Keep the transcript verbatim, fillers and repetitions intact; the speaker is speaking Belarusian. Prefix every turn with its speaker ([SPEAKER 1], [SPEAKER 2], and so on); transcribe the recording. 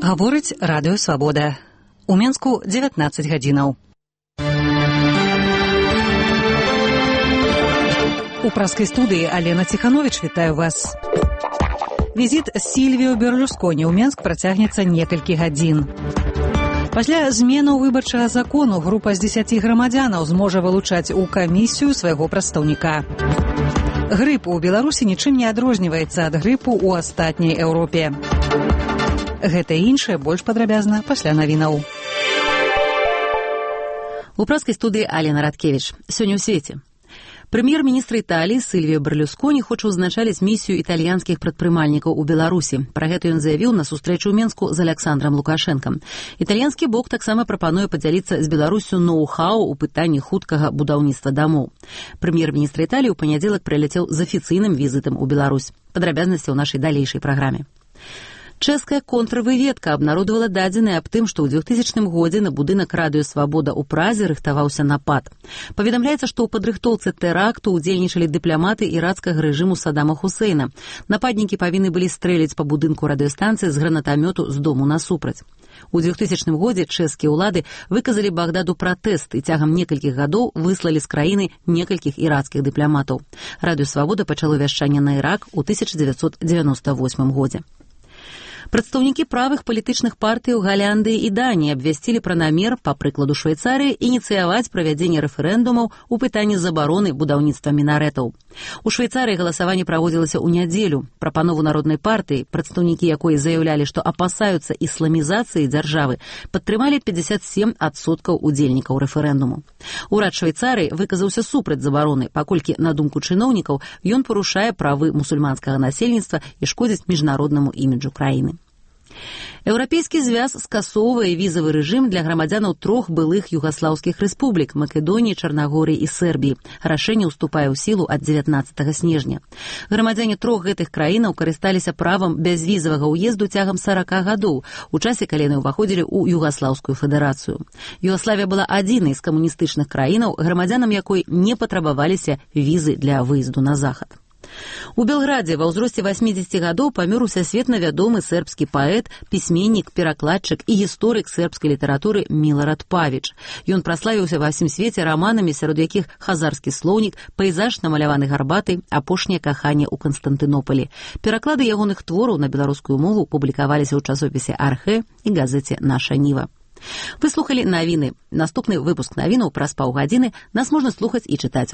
[SPEAKER 1] Гаворыць радыё Свабода. У Менску дзевятнаццаць гадзінаў. У праскай студыі Алена Ціхановіч вітаю вас. Візіт Сільвіо Берлусконі ў Менск працягнецца некалькі гадзін. Пасля зменаў выбарчага закону група з дзесяці грамадзянаў зможа вылучаць у камісію свайго прадстаўніка. Грып у Беларусі нічым не адрозніваецца ад грыпу ў астатняй Еўропе. Гэта і іншае больш падрабязна пасля навінаў.
[SPEAKER 2] У праскай студыі Алена Радкевіч. Сёння ў свеце. Прэм'ер-міністр Італіі Сільвіо Берлусконі хоча ўзначаліць місію італьянскіх прадпрымальнікаў у Беларусі. Пра гэта ён заявіў на сустрэчу ў Менску з Аляксандрам Лукашэнкам. Італьянскі бок таксама прапануе падзяліцца з Беларуссю ноу-хау у пытанні хуткага будаўніцтва дамоў. Прэм'ер-міністр Італіі ў панядзелак прыляцеў з афіцыйным візітам у Беларусь. Падрабязнасці ў нашай далейшай праграме. Чэшская контрвыведка абнародавала дадзеныя аб тым, што ў двухтысячным годзе на будынак радыё Свабода ў Празе рыхтаваўся напад. Паведамляецца, што ў падрыхтоўцы тэракту ўдзельнічалі дыпламаты ірацкага рэжыму Саддама Хусейна. Нападнікі павінны былі стрэліць па будынку радыёстанцыі з гранатамёту з дому насупраць. У двухтысячным годзе чэшскія ўлады выказалі Багдаду пратэст і цягам некалькіх гадоў выслалі з краіны некалькіх ірацкіх дыпламатаў. Радыё Свабода пачало вяшчанне на Ірак у тысяча дзевяцьсот дзевяноста восьмым годзе. Прадстаўнікі правых палітычных партый у Галандыі і Даніі абвясцілі пра намер, па прыкладу Швейцарыі, ініцыяваць правядзенне рэферэндумаў у пытанні забароны будаўніцтва мінарэтаў. У Швейцарыі галасаванне праводзілася ў нядзелю. Прапанову народнай партыі, прадстаўнікі якой заяўлялі, што апасаюцца ісламізацыі дзяржавы, падтрымалі пятьдесят семь адсоткаў удзельнікаў рэферэндуму. Урад Швейцарыі выказаўся супраць забароны, паколькі, на думку чыноўнікаў, ён парушае правы мусульманскага насельніцтва і шкодзіць міжнароднаму іміджу краіны. Еўрапейскі звяз скасоўвае візавы рэжым для грамадзянаў трох былых югаслаўскіх рэспублік – Македоніі, Чарнагорыі і Сербіі. Рашэнне ўступае ў сілу ад дзевятнаццатага снежня. Грамадзяне трох гэтых краінаў карысталіся правам бязвізавага ўезду цягам сарака гадоў, у часе, калі яны ўваходзілі ў Югаслаўскую федэрацыю. Югаславія была адзінай з камуністычных краінаў, грамадзянам якой не патрабаваліся візы для выезду на захад. У Белградзе ва ўзросце васьмідзесяці гадоў памёр усесветна вядомы сербскі паэт, пісьменнік, перакладчык і гісторык сербскай літаратуры Милорад Павіч. Ён праславіўся ва ўсім свеце раманамі, сярод якіх «Хазарскі слоўнік», «Пейзаж, намаляваны гарбатай», «Апошняе каханне ў Канстантынополі». Пераклады ягоных твораў на беларускую мову публікаваліся ў часопісе «Архэ» і газеце «Наша Ніва». Вы слухалі навіны. Наступны выпуск навінаў праз паўгадзіны. Нас можна слухаць і чытаць